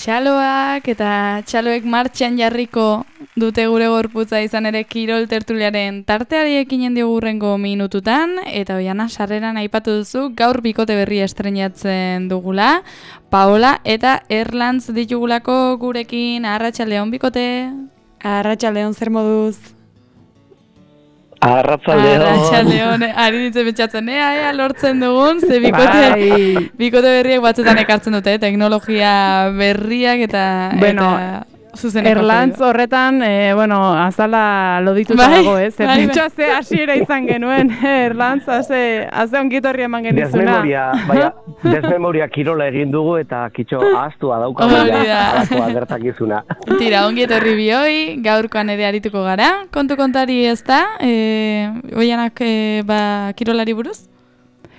Txaloak eta txaloek martxan jarriko dute gure gorputza izan ere kirol tertuliaren tarteari ekinen diogu hurrengo minututan, eta Oiana sarreran aipatu duzu gaur bikote berri estreinatzen dugula, Paola eta Erlantz ditugulako gurekin. Arratsaldeon bikote. Arratsaldeon, zer moduz? Arratsaldeon, ari ditzen betxatzen, ea lortzen dugun, ze bikote berriak batzutan ekartzen dute, teknologia berriak eta zuzeneko. Erlantz horretan, azala lodituta dago, ez? Pentsa ze hasiera izan genuen, Erlantz, haze ongitorri eman genizuna. Desmemoria kirola egin dugu eta kitxo ahaztua daukagu alakoa gertakizuna. Tira, ongietorri bioi, gaurkoan ere arituko gara. Kontari ez da, Oianak kirolari buruz?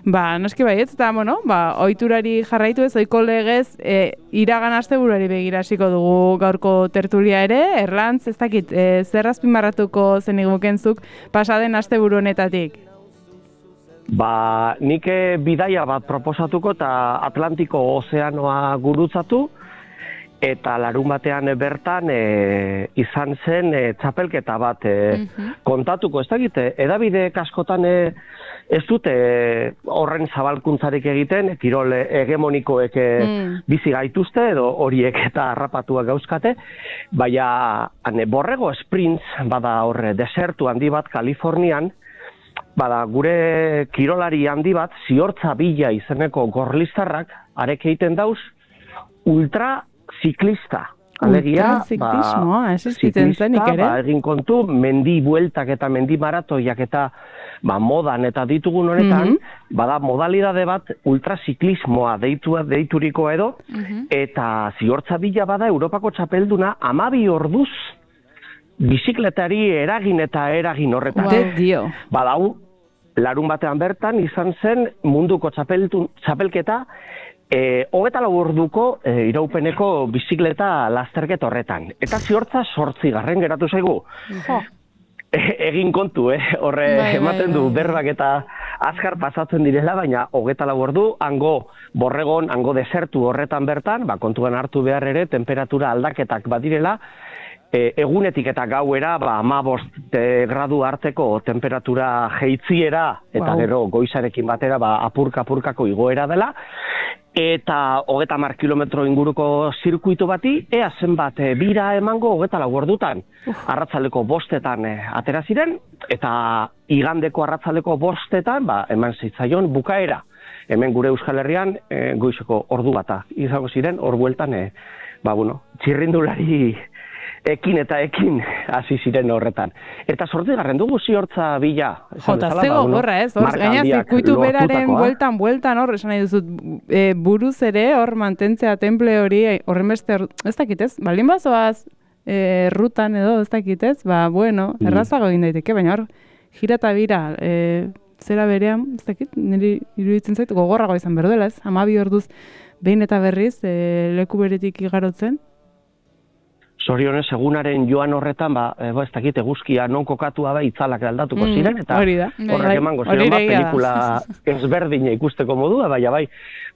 Noski baietz, eta, ohiturari jarraitu ez, ohiko legez, iragan asteburuari begira hasiko dugu gaurko tertulia ere. Erlantz, ez dakit, zer azpimarratuko zenigukenzuk pasaden asteburu honetatik? Nik bidaia bat proposatuko eta Atlantiko ozeanoa gurutzatu, eta larun batean bertan izan zen txapelketa bat kontatuko, ez dakit, edabide askotan ez dute horren zabalkuntzarik egiten, kirol hegemonikoek bizi gaituzte edo horiek eta harrapatuak gauzkate, baina borrego sprints bada horre desertu handi bat Kalifornian, bada gure kirolari handi bat, Ziortza Bila izeneko gorlistarrak, arek egiten dauz, ultraziklista. Ultraziklismoa, existitzen zenik ere? Egin kontu, mendi bueltak eta mendi maratoiak eta modan eta ditugun honetan, bada modalidade bat ultraziklismoa deituriko edo, eta Ziortza Bila bada Europako txapelduna 12 orduz bizikletari eragin horretan. Badau, larun batean bertan izan zen munduko txapelketa 24 orduko iraupeneko bizikleta lasterketa horretan. Eta Ziortza 8. geratu zaigu. Egin kontu, horre ematen du berbak eta azkar pasatzen direla, baina 24 ordu, hango borregon, hango desertu horretan bertan, kontuan hartu behar ere, temperatura aldaketak badirela, egunetik eta gauera 15 gradu arteko temperatura jeitziera eta gero goizarekin batera apurkako igoera dela, eta 30 kilometro inguruko zirkuitu bati, ea zenbat bira emango 24 ordutan. Arratzaldeko 5etan atera ziren, eta igandeko arratzaldeko 5etan eman zitzaion bukaera. Hemen gure Euskal Herrian goizeko ordu bata izango ziren, hor bueltan, txirrindulari ekin hasi ziren horretan. Eta 8. dugu Ziortza Bila. Jota, zego gorra ez, gaina zirkuitu beraren bueltan hor, esan nahi duzut, buruz ere hor mantentzea temple hori, horren beste, ez dakitez, baldin bazoaz, rutan edo, ez dakitez, errazago egin daiteke, baina hor, jira eta bira, zera berean, ez dakit, niri iruditzen zait, gogorrago izan berdela ez, 12 orduz behin eta berriz, leku beretik igarotzen. Zorionez, egunaren joan horretan, ez dakit, eguzkia non kokatua itzalak aldatuko ziren, eta horrek emango ziren, pelikula ezberdina ikusteko modua,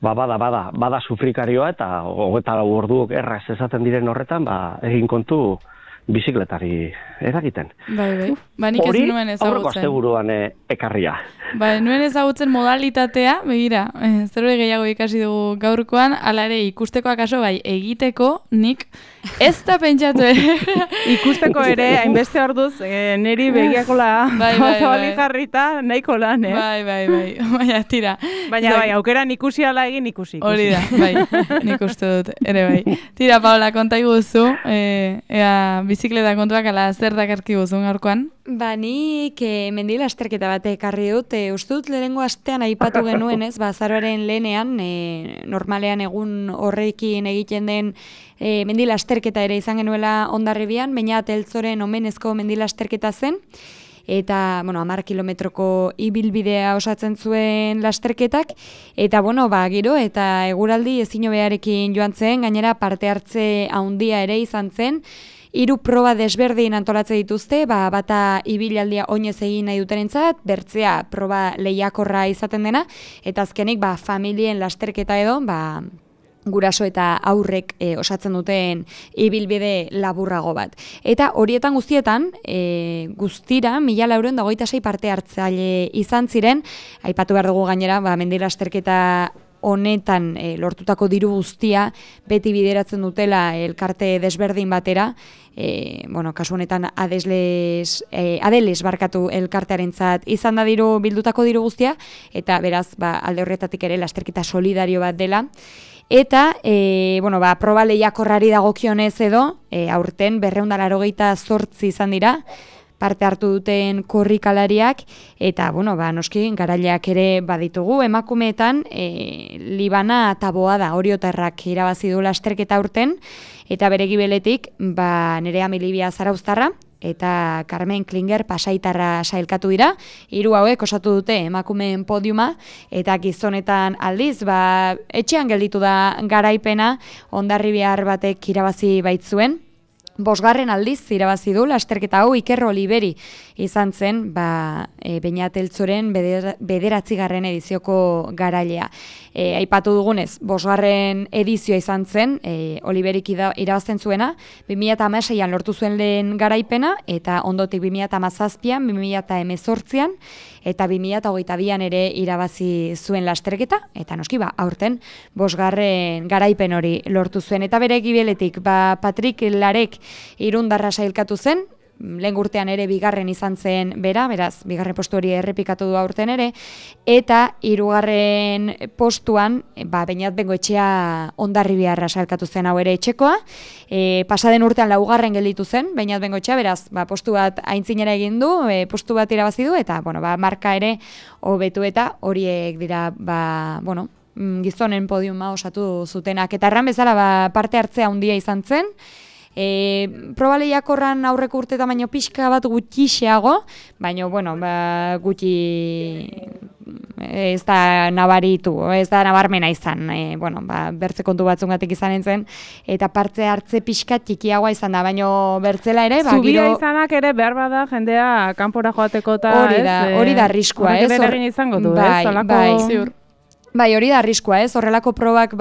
bada sufrikarioa, eta 24 orduok erraz esaten diren horretan, egin kontu bizikletari eragiten. Nik ez nuen ezagutzen. Aurreko asteburuan ekarria. Nuen ezagutzen modalitatea, begira, zerbait gehiago ikasi dugu gaurkoan, hala ere ikusteko akaso egiteko, nik ez da pentsatu ere. Ikusteko ere, hainbeste orduz, niri begiakola zabali jarrita, nahiko lan, Baina, tira. Baina, aukeran ikusi ala egin ikusi. Hori da, nik uste dut, ere bai. Tira, Paola, konta iguzu, ea bizikleta kontuak ala zer dakarki guzun gaurkoan? Nik mendi lasterketa bat ekarri dut, uste dut lehenengo astean aipatu genuen ez, azaroaren lehenean, normalean egun horrekin egiten den mendi lasterketa ere izan genuela Hondarribian, baina Eltzoren omenezko mendi lasterketa zen, eta 10 kilometroko ibilbidea osatzen zuen lasterketak, eta gero eta eguraldi ezin hobearekin joan zen, gainera parte hartze handia ere izan zen, 3 proba desberdin antolatzen dituzte, bata ibilaldia oinez egin nahi dutenentzat, bertzea proba lehiakorra izaten dena, eta azkenik familien lasterketa edo, guraso eta aurrek osatzen duten ibilbide laburrago bat. Eta horietan guztietan, guztira, 1426 parte hartzaile izan ziren, aipatu behar dugu gainera, mendi lasterketa honetan lortutako diru guztia beti bideratzen dutela elkarte desberdin batera, kasu honetan Adeles barkatu elkartearentzat izan da bildutako diru guztia, eta beraz, alde horretatik ere lasterketa solidario bat dela. Eta, proba lehiakorrari dagokionez edo, aurten 288 izan dira, parte hartu duten korrikalariak, eta, noski, garaileak ere baditugu, emakumeetan, Libana Taboada Oriotarrak irabazi du lasterketa aurten, eta bere gibeletik, Nerea Milibia Zarauztarra, eta Carmen Klinger Pasaitarra sailkatu dira, 3 hauek osatu dute emakumeen podiuma, eta gizonetan aldiz, etxean gelditu da garaipena, Hondarribiar batek irabazi baitzuen, 5. aldiz irabazi du lasterketa hau Iker Oliveri izan zen, Beñat Eltzoren 9. edizioko garailea. Aipatu dugunez, 5. edizioa izan zen, Oliverik irabazten zuena, 2016an lortu zuen lehen garaipena, eta ondotik 2017an, 2018an, eta 2022an ere irabazi zuen lasterketa, eta noski, aurten 5. garaipen hori lortu zuen. Eta bere gibeletik, Patrik Larek Irundarra sailkatu zen, lehen urtean ere 2. izan zen bera, beraz, 2. postu hori errepikatu du aurten ere, eta 3. postuan, Beñat Bengoetxea Hondarribiarra sailkatu zen hau ere etxekoa, pasaden urtean 4. gelditu zen, Beñat Bengoetxea, beraz, postu bat aintzinera egin du, postu bat irabazi du, eta, marka ere hobetu eta horiek dira, gizonen podiuma osatu zutenak. Eta erran bezala, parte hartzea handia izan zen, proba lehiakorran aurreko urteta baino pixka bat gutxixeago, baina, gutxi ez da nabaritu, ez da nabarmena izan, bertze kontu batzungatik izan entzen, eta parte hartze pixka txikiagoa izan da, baina bertzela ere, Zubia izanak ere behar bada jendea kanpora joateko eta hori da arriskua, ez? Hori da izango du, ez? Bai, hori da arriskua, ez? Horrelako probak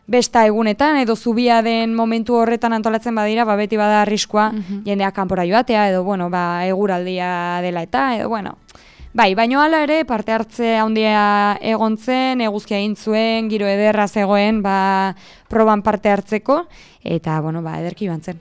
besta egunetan, edo zubia den momentu horretan antolatzen badira, beti bada arriskua jendeak kanpora joatea, edo, eguraldia dela eta, edo, Bai, baino hala ere, parte hartze handia egon zen, eguzkia egin zuen, giro ederra zegoen, proban parte hartzeko, eta, ederki joan zen.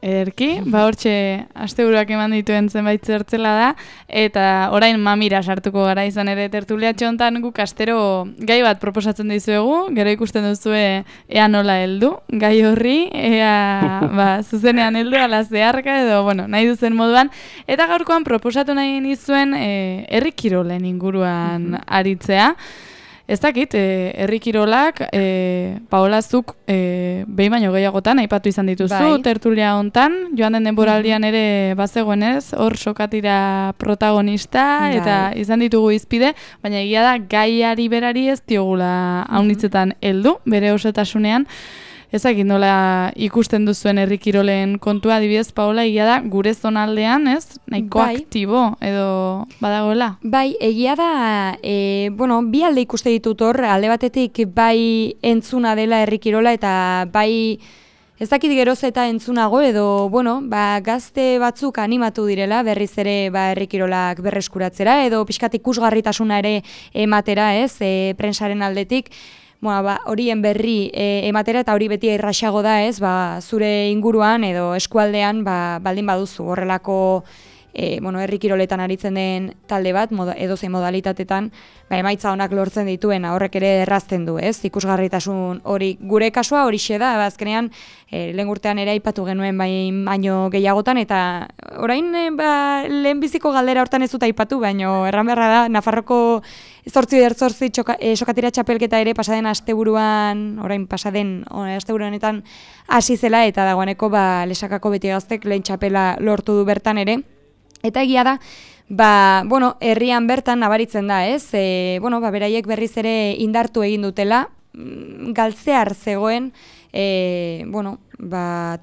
Ederki, hortxe asteburuak eman dituen zenbait zertzela da, eta orain mamira sartuko gara izan ere tertuliatxo hontan guk astero gai bat proposatzen dizuegu, gero ikusten duzue ea nola heldu, gai horri, ea zuzenean heldu, ala zeharka edo, nahi duzen moduan, eta gaurkoan proposatu nahi nizuen herri kirolen inguruan aritzea. Ez dakit, herri kirolak, Paola, zuk behin baino gehiagotan aipatu izan dituzu, tertulia hontan, joan den denboraldian ere bazegoenez, hor sokatira protagonista, eta izan ditugu izpide, baina egia da gaiari berari ez diogula haunitzetan heldu, bere osotasunean. Ezakit nola ikusten duzuen herri kirolen kontua, adibidez, Paola, egia da gure zonaldean, ez? Nahiko aktibo edo badagoela? Bai, egia da, bi alde ikuste ditut hor, alde batetik bai entzuna dela herri kirola eta bai ez dakit geroz eta entzunago edo, gazte batzuk animatu direla berriz ere herri kirolak berreskuratzera edo pixkat ikusgarritasuna ere ematera, ez, prensaren aldetik. Horien berri ematera eta hori beti erraxago da, ez, zure inguruan edo eskualdean baldin baduzu horrelako herri kiroletan aritzen den talde bat, edozein modalitatetan, emaitza honak lortzen dituena, horrek ere errazten du, ez, ikusgarritasun hori, gure kasua horixe da, azkenean, lehen urtean ere aipatu genuen baino gehiagotan, eta orain lehen biziko galdera hortan ez dut aipatu, baino erran beharra da, Nafarroko 8/8 sokatira txapelketa ere pasaden asteburuan, orain pasaden asteburuanetan hasi zela, eta dagoeneko Lesakako Beti Gaztek lehen txapela lortu du bertan ere. Eta egia da, herrian bertan nabaritzen da, ez? Beraiek berriz ere indartu egin dutela, galtzear zegoen,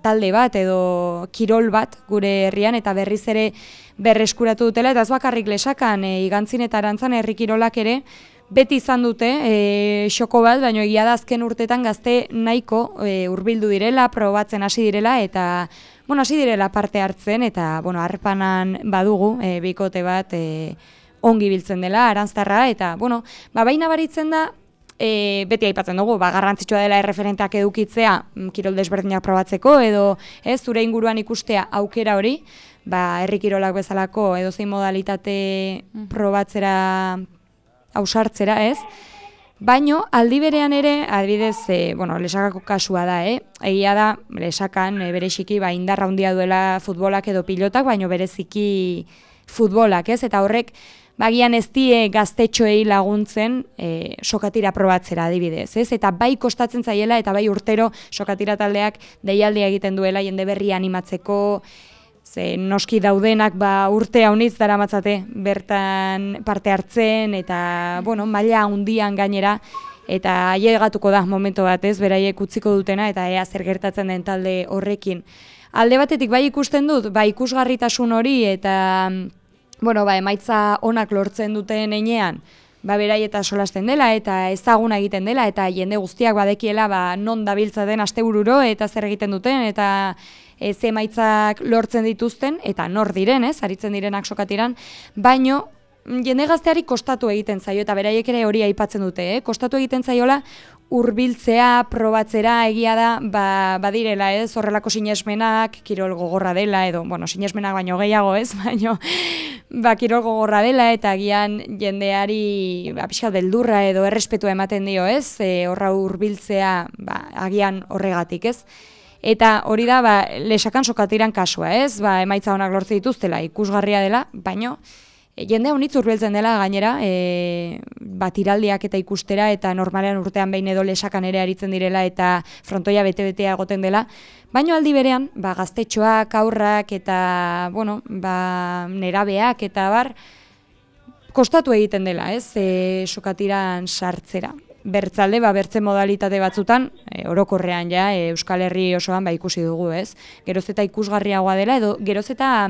talde bat edo kirol bat gure herrian, eta berriz ere berreskuratu dutela, eta ez bakarrik Lesakan, Igantzin eta Arantzan herri kirolak ere, beti izan dute xoko bat, baina egia da azken urtetan gazte nahiko hurbildu direla, probatzen hasi direla, eta hasi direla parte hartzen, eta harrepanan badugu bikote bat ongi biltzen dela, Aranztarra, eta baina baritzen da, beti aipatzen dugu, garrantzitsua dela erreferenteak edukitzea, kirol desberdinak probatzeko, edo zure inguruan ikustea aukera hori, herri kirolak bezalako edozein modalitate probatzera ausartzera, baino aldi berean ere, adibidez, Lesakako kasua da, egia da, Lesakan bereziki indarra handia duela futbolak edo pilotak, baino bereziki futbolak, eta horrek bagian ez die gaztetxoei laguntzen sokatira probatzera adibidez, eta bai kostatzen zaiela eta bai urtero sokatira taldeak deialdia egiten duela jende berria animatzeko, noski daudenak urte haunitz daramatzate bertan parte hartzen eta maila handian gainera, eta ailegatuko da momento bat beraiek utziko dutena eta ea zer gertatzen den talde horrekin. Alde batetik bai ikusten dut, ikusgarritasun hori eta emaitza onak lortzen duten heinean, berai eta solasten dela eta ezaguna egiten dela eta jende guztiak badekiela non dabiltza den astebururo eta zer egiten duten eta ze emaitzak lortzen dituzten eta nor diren, aritzen direnak sokatiran, baino jende gazteari kostatu egiten zaio eta beraiek ere hori aipatzen dute, kostatu egiten zaiola hurbiltzea, probatzera, egia da, badirela, horrelako sinesmenak, kirol gogorra dela, edo, sinesmenak baino gehiago, baino, kirol gogorra dela, eta agian jendeari pixkat beldurra edo errespetua ematen dio, horra hurbiltzea, agian horregatik, Eta hori da, Lesakan sokatiran kasua, emaitza honak lortze dituztela, ikusgarria dela, baino, jende honitz hurbiltzen dela gainera, tiraldiak eta ikustera eta normalean urtean behin edo Lesakan ere aritzen direla eta frontoia bete-betea egoten dela, baino aldi berean, gaztetxoak, aurrak eta, nerabeak eta kostatu egiten dela, sokatiran sartzera. Bertzalde, bertze modalitate batzutan, orokorrean Euskal Herri osoan ikusi dugu, Geroz eta ikusgarriagoa dela, edo geroz eta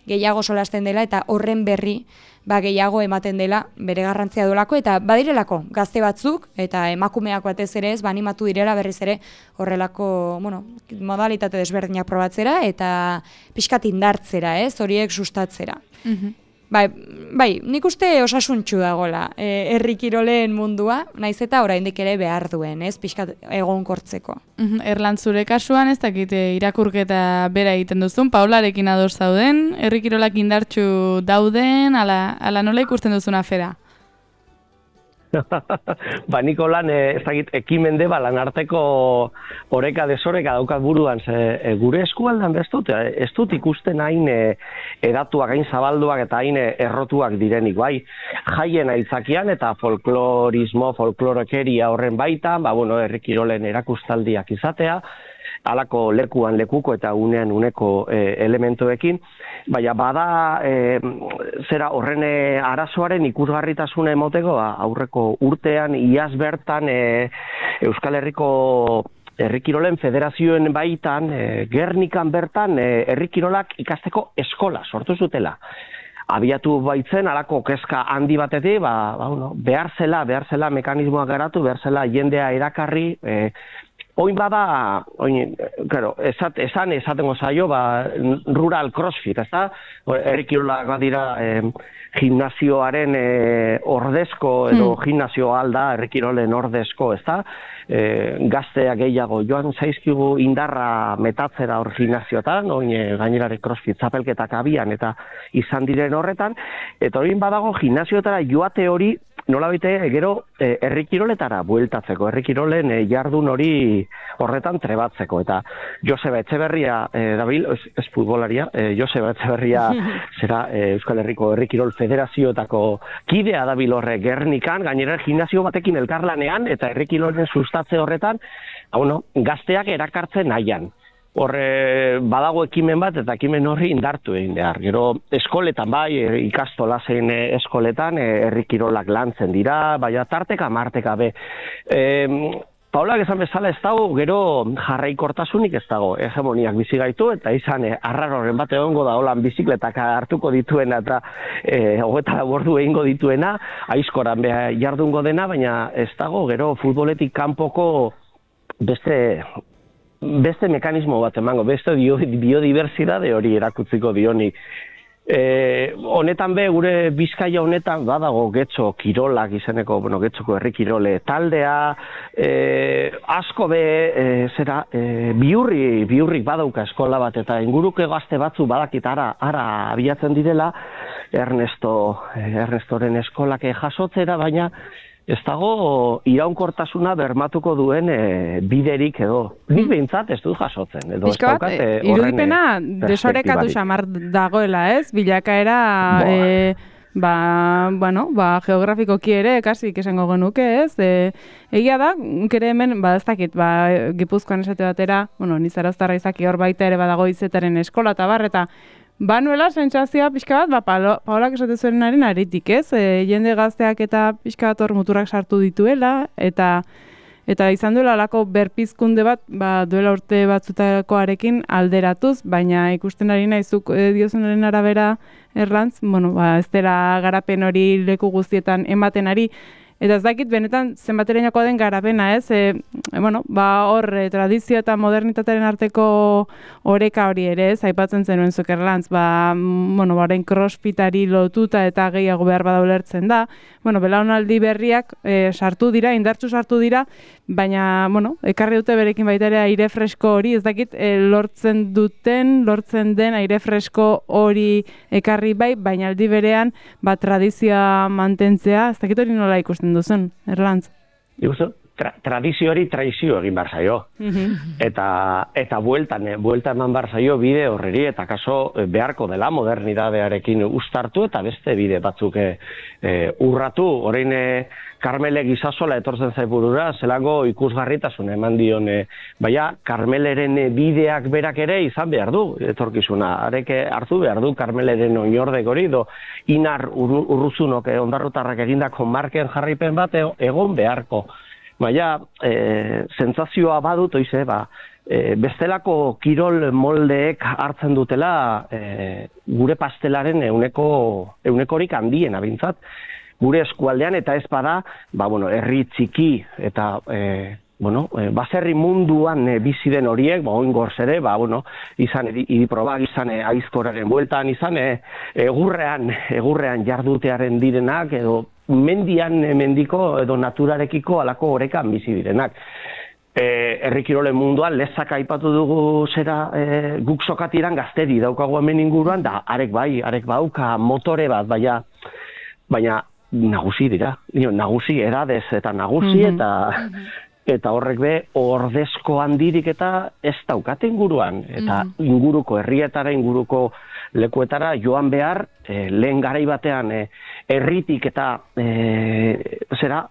gehiago solasten dela, eta horren berri gehiago ematen dela bere garrantzia dolako, eta badirelako gazte batzuk, eta emakumeak batez ere animatu direla berriz ere horrelako, modalitate desberdinak probatzera, eta pixkat indartzera, horiek sustatzera. Nik uste osasuntxu dagoela herri kiroleen mundua, naiz eta oraindik ere behar duen, pixkat egonkortzeko. Erlan, zure kasuan ez dakit irakurketa bera egiten duzun, Paularekin ados zauden, herri kirolak indartxu dauden, ala nola ikusten duzun afera? Niko lan, ez dakit, ekimende lan arteko oreka desoreka daukat buruan, gure eskualdan ez dut ikusten hain edatuak, hain zabalduak eta hain errotuak direnik, jaien aitzakian eta folklorekeria horren baitan, herri kirolen erakustaldiak izatea, halako lekuan lekuko eta unean uneko elementuekin, bada zera horren arazoaren ikusgarritasuna emoteko aurreko urtean iaz bertan Euskal Herriko herri kirolen federazioen baitan, Gernikan bertan herri kirolak ikasteko eskola sortu zutela. Abiatu baitzen, halako kezka handi batetik, behar zela mekanismoak garatu, behar zela jendea erakarri, oin bada, esatengo zaio, rural crossfit, ez da? Herri kirolak badira gimnazioaren ordezko, edo gimnazio alda, herri kirolen ordezko, ez da? Gazteak gehiago joan zaizkigu indarra metatzera hor gimnazioetan, gainerare crossfit zapelketak abian eta izan diren horretan, eta hori badago gimnazioetara joate hori nola baite gero herri kiroletara bueltatzeko, herri kirolen jardun hori horretan trebatzeko, eta Joseba Etxeberria dabil, ez futbolaria, Joseba Etxeberria zera Euskal Herriko herri kirol federazioetako kidea dabil horre Gernikan, gainera gimnazio batekin elkarlanean, eta herri kirolen sustatze horretan, gazteak erakartzen nahian. Horre badago ekimen bat eta ekimen horri indartu egin behar. Gero eskoletan ikastola zein eskoletan herri kirolak lantzen dira, tarteka marteka be. Paulak esan bezala ez dago, gero jarraikortasunik ez dago, hegemoniak bizi gaitu, eta izan arraroren bat egongo da holan bizikletak hartuko dituena eta 24 ordu egingo dituena, aizkoran jardungo dena, baina ez dago, gero futboletik kanpoko beste mekanismo bat emango, beste biodibertsitate hori erakutziko dionik. Honetan gure Bizkaia honetan badago Getxo Kirolak izeneko, Getxoko herri kirole taldea, asko biurrik badauka eskola bat, eta inguruko gazte batzu badakit ara abiatzen direla Ernestoren eskolak jasotzera, baina ez dago iraunkortasuna bermatuko duen biderik edo. Nik behintzat ez dut jasotzen. Piskat, irudipena desorekatu xamar dagoela, ez? Bilakaera, geografikoki ere, kasik esango genuke, ez? Egia da, kere hemen, ez dakit, Gipuzkoan esate batera, Nizaraztarra izaki hor baita ere badago izetaren eskola eta bar, eta banuela, sentsazioa pixka bat, Paolak esate zuenaren aritik, ez? Jende gazteak eta pixka bat hor muturrak sartu dituela, eta izan duela alako berpizkunde bat, duela urte batzutakoarekin alderatuz, baina ikusten ari nahizuk diozenaren arabera Erlantz, ez dela garapen hori leku guztietan ematen ari, eta ez dakit benetan zenbaterainokoa den garapena, ez? Hor tradizio eta modernitatearen arteko oreka hori ere, ez? Aipatzen zenuen zuk Erlantz, orain crossfitari lotuta eta gehiago behar bada ulertzen da. Belaunaldi berriak indartsu sartu dira, baina, ekarri dute berekin baita ere aire fresko hori, ez dakit lortzen den aire fresko hori ekarri bai, baina aldi berean tradizioa mantentzea, ez dakit hori nola ikusten duzen, Erlantz? Tradizio hori traizio egin behar zaio. Eta bueltan eman behar zaio bide horreri, eta kaso beharko dela modernidadearekin uztartu eta beste bide batzuk urratu. Orain Karmele Gizasola etortzen zaiburura, zelango ikusgarritasun eman dion, Karmeleren bideak berak ere izan behar du, etorkizuna. Areke hartu behar du Karmeleren oinordek hori, Inar Urruzunok ondarrutarrak egindako marken jarripen bat egon beharko. Baina, sentsazioa badut, bestelako kirol moldeek hartzen dutela gure pastelaren eunekorik handiena bintzat. Gure eskualdean eta ez bada, herri txiki eta baserri munduan bizi den horiek, oingorz ere, izan idiprobak, izan aizkoraren bueltan, izan egurrean jardutearen direnak, edo mendiko edo naturarekiko alako orekan bizi direnak. Herri kirolen munduan lezak aipatu dugu guk sokatiran gazteri daukagu hemen inguruan, da arek bauka motore bat, baina nagusi dira, nagusi edadez eta nagusi eta horrek ordezko handirik eta ez daukate inguruan, eta inguruko herrietara, inguruko lekuetara joan behar, lehen garai batean herritik eta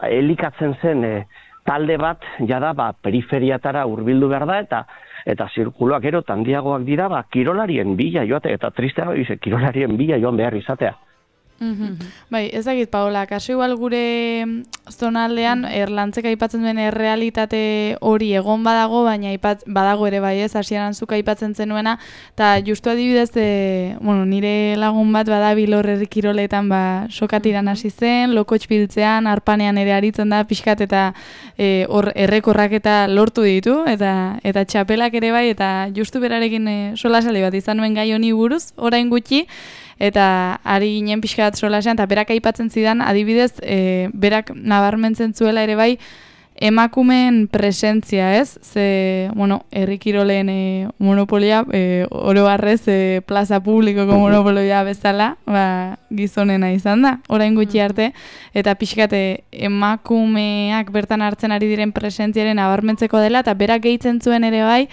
elikatzen zen talde bat, jada periferiatara hurbildu behar da, eta zirkuloak gero handiagoak dira, kirolarien bila joate, eta tristea kirolarien bila joan behar izatea. Bai, ezagit, Paola, kaso igual gure zonaldean Erlantzek aipatzen duen errealitate hori egon badago, baina badago ere bai ez, hasieran zuk aipatzen zenuena, eta justu adibidez, nire lagun bat badabil hor herri kiroletan sokatiran hasi zen, lokotx biltzean, arpanean ere aritzen da, pixkat eta hor errekorrak eta lortu ditu, eta txapelak ere bai, eta justu berarekin solasale bat izan nuen gai honi buruz, orain gutxi, eta ari ginen pixka bat solasean, eta berak aipatzen zidan, adibidez, berak nabarmentzen zuela ere bai, emakumeen presentzia, ez? Herri kiroleen monopolia, oro harrez plaza publikoko monopolia bezala, gizonena izan da, orain gutxi arte, eta pixkate emakumeak bertan hartzen ari diren presentziaren nabarmentzeko dela, eta berak gehitzen zuen ere bai,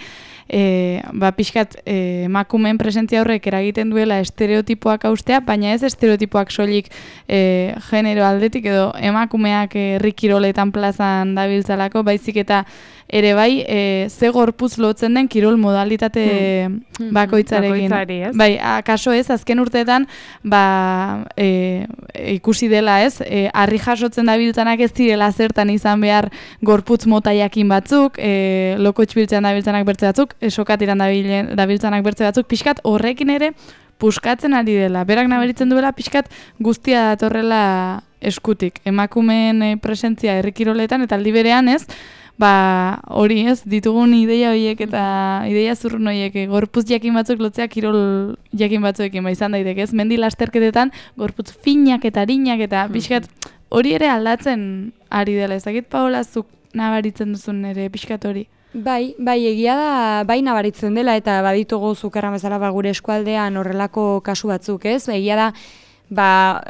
pixkat emakumeen presentzia horrek eragiten duela estereotipoak haustea, baina ez estereotipoak soilik genero aldetik edo emakumeak herri kiroletan plazan dabiltza dabiltzalako, baizik eta ere bai, ze gorputz lotzen den kirol modalitate bakoitzarekin. Bai, akaso ez, azken urteetan, ikusi dela ez, harri jasotzen dabiltzanak ez direla zertan izan behar gorputz motaiakin batzuk, lokotx biltzean dabiltzanak bertze batzuk, sokatiran dabiltzanak bertze batzuk, pixkat horrekin ere puskatzen ari dela. Berak nabaritzen duela pixkat guztia datorrela eskutik. Emakumeen presentzia herrikiroletan eta aldi berean ez, hori ez, ditugun ideia horiek eta ideia zurrun horiek gorputz jakin batzuk lotzea kirol jakin batzuekin izan daiteke ez, mendi lasterketetan gorputz finak eta harinak eta pixkat hori ere aldatzen ari dela. Ezakit Paola zuk nabaritzen duzun ere pixkat hori? Bai, egia da, bai nabaritzen dela eta baditugu zukerran bezala gure eskualdean horrelako kasu batzuk ez, egia da,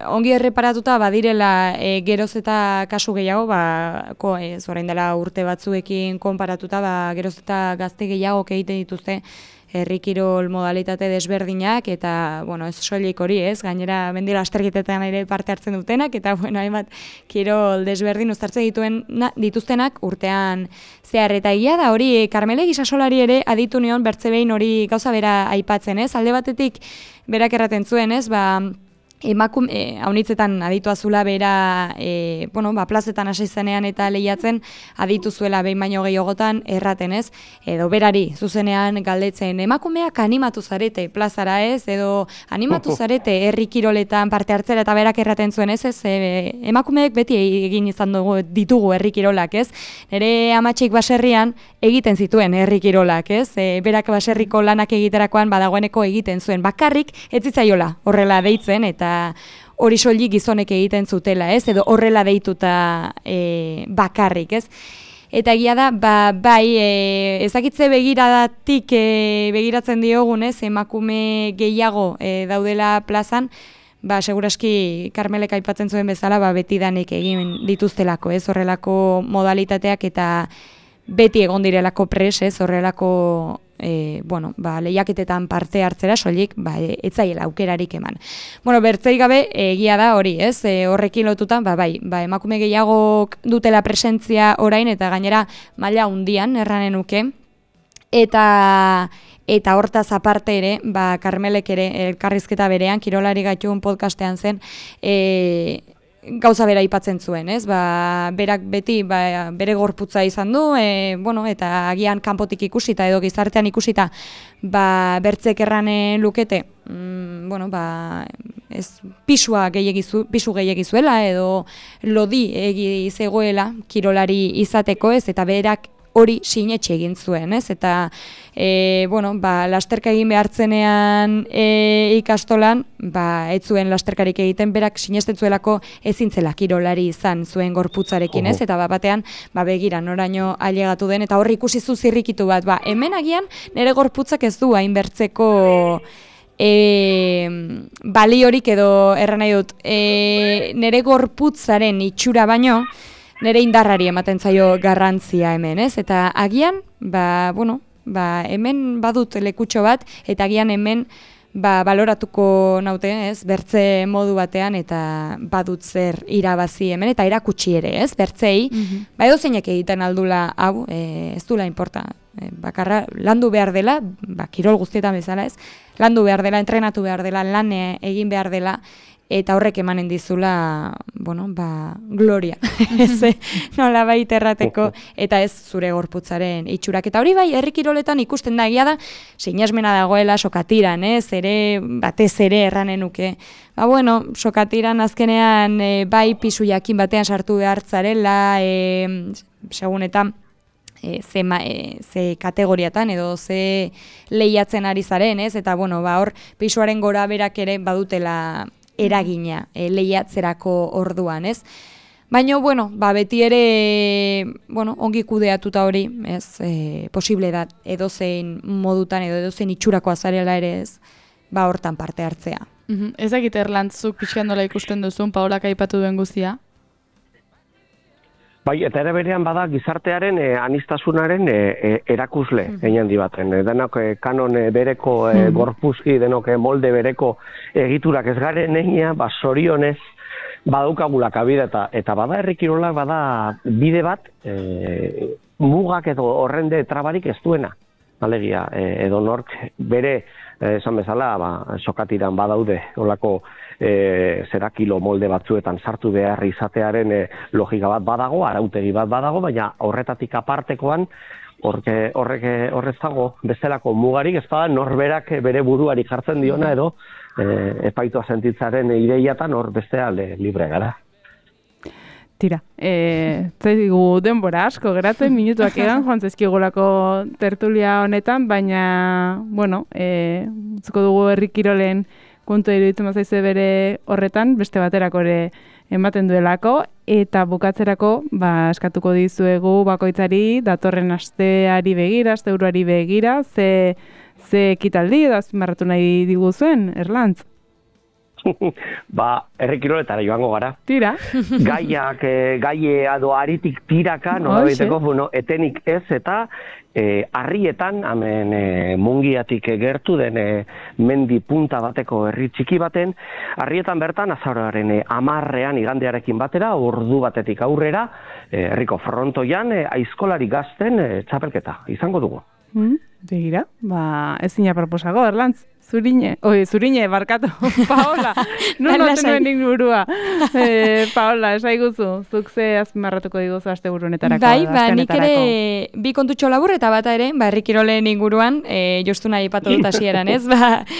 ongi erreparatuta badirela geroz eta kasu gehiago, orain dela urte batzuekin konparatuta, geroz eta gazte gehiago egiten dituzte herrikirol modalitate desberdinak eta, ez soilik hori ez, gainera mendi lasterketetan ere parte hartzen dutenak eta, hainbat kirol desberdin uztartzen dituztenak urtean zehar. Eta egia da hori, Karmele Gisasolari ere aditu nion bertze behin hori gauza bera aipatzen ez, alde batetik berak erraten zuen ez, haunitzetan aditua zula bera, plazetan hasi zenean eta lehiatzen aditu zuela behin baino gehiagotan erraten ez, edo berari zuzenean galdetzen emakumeak animatu zarete plazara ez, edo animatu zarete herri kiroletan parte hartzera eta berak erraten zuen ez, emakumeek beti egin izan ditugu herri kirolak ez, nire amatxik baserrian egiten zituen herri kirolak ez, berak baserriko lanak egiterakoan badagoeneko egiten zuen, bakarrik ez zitzaiola horrela deitzen eta hori soilik gizonek egiten zutela, ez? Edo horrela deituta bakarrik, ez? Eta egia da, ezakitze begiradatik begiratzen diogun, ez? Emakume gehiago daudela plazan, seguraski Karmelek aipatzen zuen bezala, betidanik egin dituztelako, ez? Horrelako modalitateak eta beti egon direlako pres, ez? Horrelako lehiaketetan parte hartzera soilik etzaiela aukerarik eman. Bertzerik gabe egia da hori, ez? Horrekin lotutan, emakume gehiago dutela presentzia orain eta gainera maila hundian erranen nuke. Eta hortaz aparte ere, Karmelek ere elkarrizketa berean, Kirolari Gaitun podcastean zen, gauza bera aipatzen zuen, ez? Berak beti bere gorputza izan du, eta agian kanpotik ikusita edo gizartean ikusita, bertzek erranen lukete, pisu gehiagizuela edo lodi zegoela kirolari izateko, ez? Eta berak hori sinetxe egin zuen, ez? Eta, lasterka egin behartzenean ikastolan, ez zuen lasterkarik egiten, berak sinesten zuelako ezintzela kirolari izan zuen gorputzarekin, ez? Eta batean, begira, noraino ailegatu den, eta horri ikusi zu zirrikitu bat, hemen agian nire gorputzak ez du hainbertzeko baliorik edo erran nahi dut, nire gorputzaren itxura baino, nire indarrari ematen zaio garrantzia hemen, ez? Eta agian, hemen badut lekutxo bat, eta agian hemen baloratuko naute, ez? Bertze modu batean, eta badut zer irabazi hemen, eta erakutsi ere, ez? Bertzei, edo zeinek egiten aldula, hau, ez dula inporta. Bakarra, landu behar dela, kirol guztietan bezala, ez? Landu behar dela, entrenatu behar dela, lan egin behar dela, eta horrek emanen dizula, gloria, nola baita errateko, eta ez zure gorputzaren itxurak. Eta hori herri kiroletan ikusten da egia da, sinasmena dagoela sokatiran, batez ere erranen nuke. Sokatiran azkenean pisu jakin batean sartu behartzarela, segun eta ze kategoriatan edo ze lehiatzen ari zaren, ez? Eta hor pisuaren gora berak ere badutela eragina lehiatzerako orduan, ez? Baina, beti ere, ongi kudeatuta hori, ez, posible da edozein modutan edo edozein itxurako azarela ere, ez, hortan parte hartzea. Ez dakit Erlantzuk pixkan dola ikusten duzun, Paolak aipatu duen guztia? Eta ere berean bada gizartearen anistasunaren erakusle egin handi baten. Denok kanon bereko gorpuzki, denok molde bereko egiturak ez garen egina, zorionez, badaukagula kabide eta bada herri kirolak bada bide bat mugak edo horrende trabarik ez duena. Alegia, edo nork bere esan bezala, sokatiran badaude olako kilo molde batzuetan sartu behar izatearen logika bat badago, arautegi bat badago, baina horretatik apartekoan horrez dago bestelako mugarik, ez da norberak bere buruari jartzen diona edo epaitua sentitzaren ideiatan hor bestea libre gara. Tira, zaigu denbora asko geratzen, minutuak egan joan zaizkigolako tertulia honetan, baina, bueno, zuko dugu herri kirolen kontu iruditzen bazaize bere horretan, beste baterako ere ematen duelako, eta bukatzerako eskatuko dizuegu bakoitzari datorren asteari begira, asteburuari begira, ze ekitaldi edo azpimarratu nahi diguzuen, Erlantz? Herri kiroletara joango gara. Tira. Gaie edo aritik tiraka, etenik ez eta harrietan, hemen Mungiatik gertu den mendi punta bateko herri txiki baten, harrietan bertan azaroaren 10ean igandearekin batera, ordu batetik aurrera, herriko frontoian, aizkolari gazten txapelketa izango dugu. Begira, ezin aproposago, Erlantz. Zurine, barkatu, Paola, noten nuen ingurua. Paola, esaiguzu, zuk ze azpimarratuko diguzu asteburu honetarako. Nik ere bi kontutxo labur eta bata ere, herri kirolen inguruan, jostu nahi ipatu dut hasieran, ez?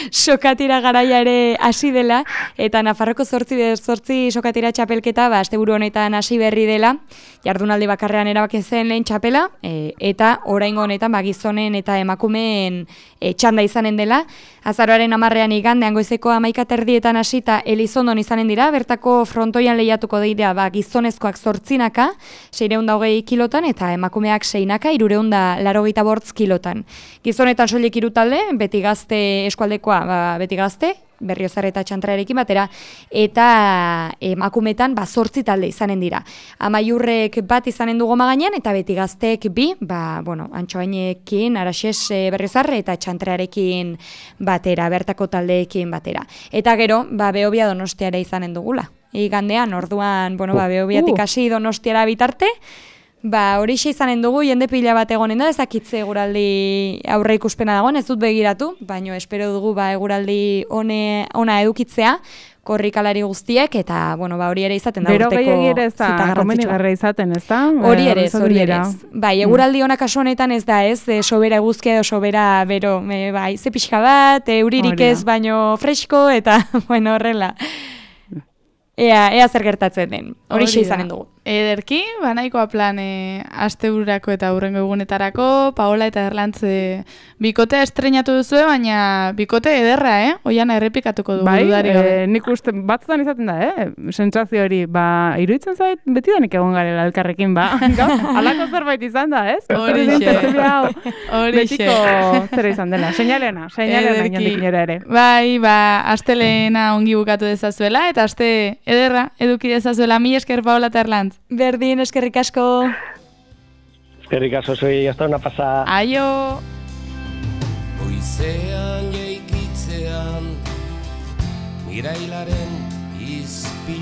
Sokatira garaia ere hasi dela, eta Nafarroko 8 sokatira txapelketa, asteburu honetan hasi berri dela, jardunaldi bakarrean erabaki zen lehen txapela, eta oraingo honetan gizonen eta emakumeen txanda izanen dela. Azaroaren 10ean igandean goizeko 11:30 hasita Elizondon izanen dira, bertako frontoian lehiatuko dira gizonezkoak 8naka, 620 kilotan, eta emakumeak 6naka, 385 kilotan. Gizonetan soilik 3 talde, beti gazte eskualdekoa, beti gazte, Berriozar eta Txantrarekin batera, eta emakumetan 8 talde izanen dira. Amaiurrek bat izanen du Goma gainean, eta beti gazteek 2, Antxoainekin, Araxes, Berriozar eta Txantrarekin batera, bertako taldeekin batera. Eta gero, Behobia Donostiara izanen dugula. Igandean, orduan, Behobiatik hasi Donostiara bitarte, horixe izanen dugu, jende pila bat egonen da, ezakitze eguraldi aurre ikuspena dagoen, ez dut begiratu, baina espero dugu eguraldi ona edukitzea, korrikalari guztiek, eta hori ere izaten da urteko zita garrantzitsua. Izaten, ez da? Hori ere ez. Eguraldi ona kasu honetan ez da, ez, sobera eguzkia edo sobera bero, ze pixka bat, euririk ez, baino fresko, eta horrela. Ea zer gertatzen den, horixe izanen dugu. Ederki, nahikoa plan astebururako eta hurrengo egunetarako, Paola eta Erlantz bikotea estreinatu duzue, baina bikote ederra, Oiana errepikatuko dugu dudari gabe. Nik uste batzutan izaten da, sentsazio hori, iruditzen zait, beti danik egon garela elkarrekin, halako zerbait izan da, ez? Horixe. Betiko zera izan dela, seinalena inondik inora ere. Astelena ongi bukatu dezazuela, eta aste ederra eduki dezazuela, mila esker Paola eta Erlantz. Berdin, eskerrik asko. Eskerrik asko, hasta una pasada. Aio. Goizean jaikitzean, irailaren izpilu